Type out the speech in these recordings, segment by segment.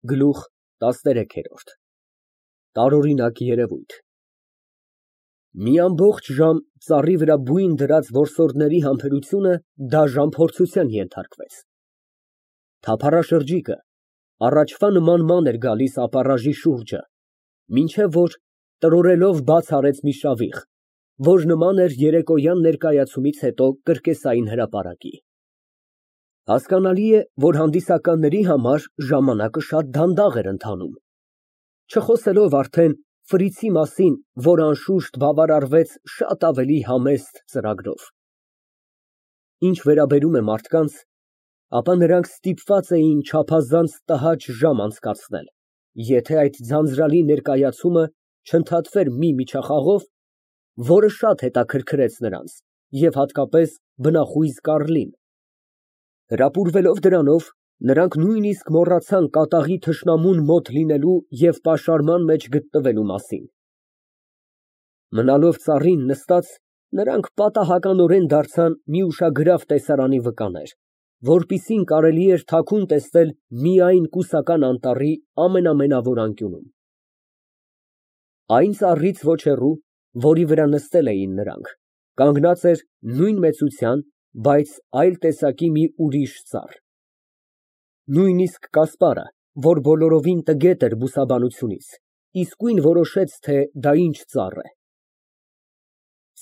Գլուխ տասներեքերորդ Տարօրինակ երևույթ Մի ամբողջ ժամ ծառի վրա բույն դրած որսորդների համբերությունը դաժան փորձության ենթարկվեց։ Թափառաշրջիկը առաջվա նման ման էր գալիս ապառաժի շուրջը, մինչև որ տրորելով բաց արեց մի շավիղ, որ նման էր երեկոյան ներկայացումից հետո կրկեսային հրապարակի։ Հասկանալի է, որ հանդիսականների համար ժամանակը շատ դանդաղ էր ընթանում, չխոսելով արդեն ֆրիցի մասին, որ անշուշտ բավարարվեց շատ ավելի համեստ ծրագրով։ Ինչ վերաբերում է մարդկանց, ապա նրանք ստիպված էին չափազանց տհաճ ժամ անցկացնել, եթե այդ ձանձրալի ներկայացումը չընդհատվեր մի միջախաղով, որը շատ հետաքրքրեց նրանց և հատկապես բնախույզ Կարլին։ Հրապուրվելով դրանով, նրանք նույնիսկ մոռացան կատաղի թշնամուն մոտ լինելու և պաշարման մեջ գտնվելու մասին։ Մնալով ծառին նստած, նրանք պատահականորեն դարձան մի ուշագրավ տեսարանի վկաներ, որպիսին կարելի էր թաքուն տեսնել միայն կուսական անտառի ամենամենավոր անկյունում։ Այն ծառից ոչ հեռու, որի վրա նստել էին նրանք, կանգնած էր նույն մեծության, բայց այլ տեսակի մի ուրիշ ծառ։ Նույնիսկ Կասպարը, որ բոլորովին տգետ էր բուսաբանությունից, իսկույն որոշեց, թե դա ինչ ծառ է։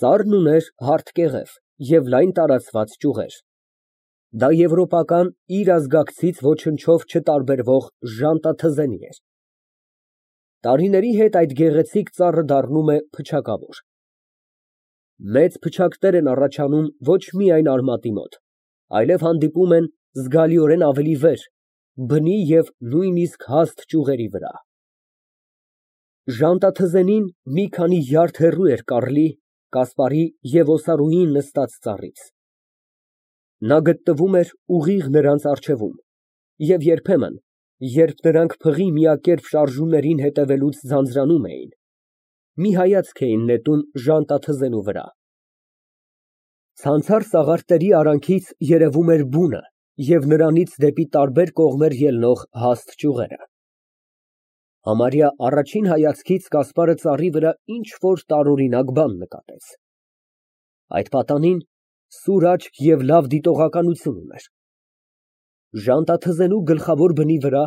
Ծառն ուներ հարթ կեղև և լայն տարածված ճյուղեր։ Դա եվրոպական իր ազգակցից ոչնչով չտարբերվող ժանտաթզենի էր։ Տարիների հետ այդ գեղեցիկ ծառը դառնում է փչակավոր։ Մեծ փչակներ են առաջանում ոչ միայն արմատի մոտ, այլև հանդիպում են զգալիորեն ավելի վեր, բնի և նույնիսկ հաստ ճյուղերի վրա։ Ժանտաթզենին մի քանի յարդ հեռու էր Կարլի, Կասպարի և Օսարուի նստած ծառից։ Նա գտնվում էր ուղիղ նրանց առջևում և երբեմն, երբ նրանք փղի միակերպ շարժումներին հետևելուց ձանձրանում էին, մի հայացք էին նետում ժանտաթզենու վրա։ Ցանցառ սաղարթների արանքից երևում էր բունը և նրանից դեպի տարբեր կողմեր ելնող հաստ ճյուղերը։ Համարյա առաջին հայացքից Կասպարը ծառի վրա ինչ֊որ տարօրինակ բան նկատեց։ Այդ պատանին սուր աչք և լավ դիտողականություն ուներ։ Ժանտաթզենու գլխավոր բնի վրա,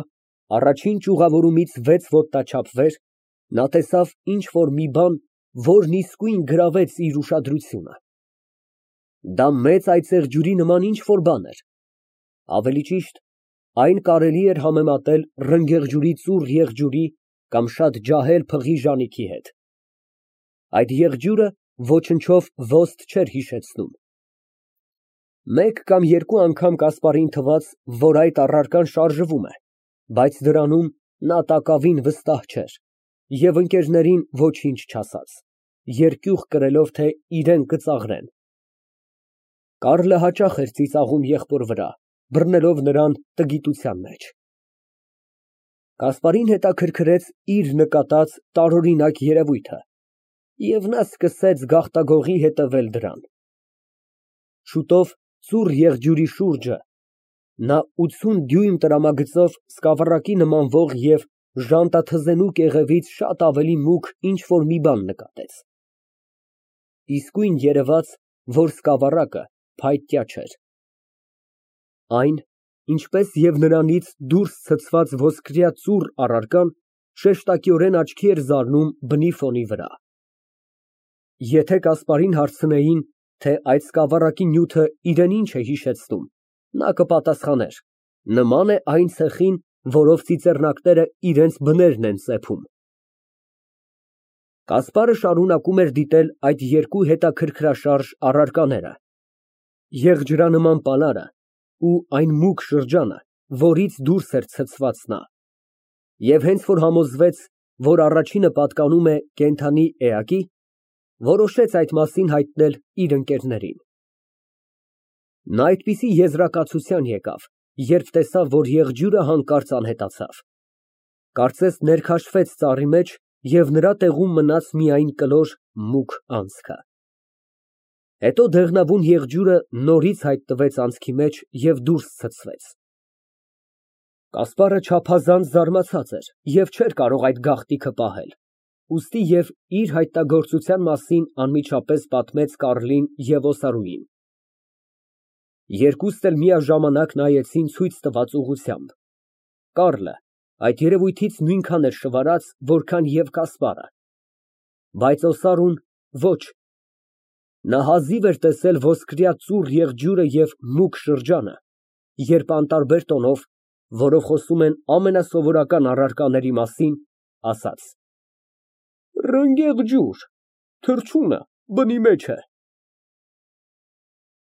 առաջին ճյուղավորումից 6 ոտնաչափ վեր, նա տեսավ ինչ֊որ մի բան, որն իսկույն գրավեց իր ուշադրությունը։ Դա մեծ այծեղջյուրի նման ինչ֊որ բան էր, ավելի ճիշտ, այն կարելի էր համեմատել ռնգեղջյուրի ծուռ եղջյուրի կամ շատ ջահել փղի ժանիքի հետ։ Այդ եղջյուրը ոչնչով ոստ չէր հիշեցնում։ Մեկ կամ երկու անգամ Կասպարին թվաց, որ այդ առարկան շարժվում է, բայց դրանում նա տակավին վստահ չէր և ընկերներին ոչինչ չասաց, երկյուղ կրելով, թե իրան կծաղրեն։ Կարլը հաճախ էր ծիծաղում եղբոր վրա, բռնելով նրան տգիտության մեջ։ Կասպարին հետաքրքրեց իր նկատած տարօրինակ երևույթը, և նա սկսեց գաղտագողի հետևել դրան։ Շուտով ծուռ եղջյուրի շուրջը նա 80 դյույմ տրամագծով սկավառակի նմանվող և ժանտաթզենու կեղևից շատ ավելի մուգ ինչ֊որ մի բան նկատեց։ Իսկույն երևաց, որ սկավառակը փայտյա չէր։ Այն, ինչպես և նրանից դուրս ցցված ոսկրյա ծուռ առարկան, շեշտակիորեն աչքի էր զարնում բնի ֆոնի վրա։ Եթե Կասպարին հարցնեին, թե այդ սկավառակի նյութը իրան ինչ է հիշեցնում, նա կպատասխաներ. նման է այն ցեխին, որով ծիծեռնակները իրենց բներն են ծեփում։ Կասպարը շարունակում էր դիտել այդ երկու հետաքրքրաշարժ առարկաները՝ եղջյուրանման պալարը ու այն մուգ շրջանը, որից դուրս էր ցցված նա, և հենց որ համոզվեց, որ առաջինը պատկանում է կենդանի էակի, որոշեց այդ մասին հայտնել իր ընկերներին։ Նա այդպիսի եզրակացության եկավ, երբ տեսավ, որ եղջյուրը հանկարծ անհետացավ, կարծես ներքաշվեց ծառի մեջ և նրա տեղում մնաց միայն կլոր մուգ անցքը։ Հետո դեղնավուն եղջյուրը նորից հայտնվեց անցքի մեջ և դուրս ցցվեց։ Կասպարը չափազանց զարմացած էր և չէր կարող այդ գաղտնիքը պահել, ուստի և իր հայտնագործության մասին անմիջապես պատմեց Կարլին և Օսարուին։ Երկուսն էլ միաժամանակ նայեցին ցույց տված ուղղությամբ, Կարլը այդ երևույթից նույնքան էր շվարած, որքան և Կասպարը, բայց Օսարուն ոչ, նա հազիվ էր տեսել ոսկրյա ծուռ եղջյուրը և մուգ շրջանը, երբ անտարբեր տոնով, որով խոսում են ամենասովորական առարկաների մասին, ասաց. Ռնգեղ ջուր, թռչունը բնի մեջ է։